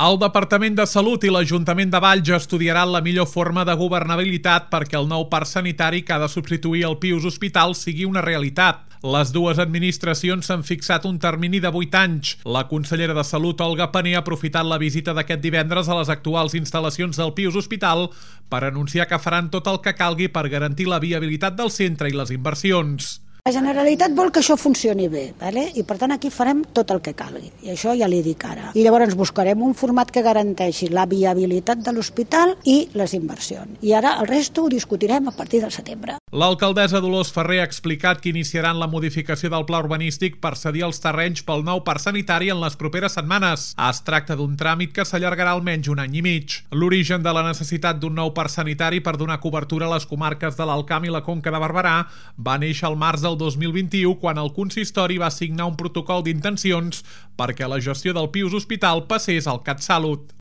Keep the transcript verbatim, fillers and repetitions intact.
El Departament de Salut i l'Ajuntament de Valls estudiaran la millor forma de governabilitat perquè el nou parc sanitari que ha de substituir el Pius Hospital sigui una realitat. Les dues administracions s'han fixat un termini de vuit anys. La consellera de Salut, Olga Pané, ha aprofitat la visita d'aquest divendres a les actuals instal·lacions del Pius Hospital per anunciar que faran tot el que calgui per garantir la viabilitat del centre i les inversions. La Generalitat vol que això funcioni bé, ¿vale? I per tant aquí farem tot el que calgui, i això ja li dic ara. I llavors buscarem un format que garanteixi la viabilitat de l'hospital i les inversions. I ara el resto ho discutirem a partir del setembre. L'alcaldessa Dolors Ferrer ha explicat que iniciaran la modificació del pla urbanístic per cedir els terrenys pel nou parc sanitari en les properes setmanes. Es tracta d'un tràmit que s'allargarà almenys un any i mig. L'origen de la necessitat d'un nou parc sanitari per donar cobertura a les comarques de l'Alt Camp i la Conca de Barberà va néixer al març del dos mil vint-i-u quan el consistori va signar un protocol d'intencions perquè la gestió del Pius Hospital passés al CatSalut.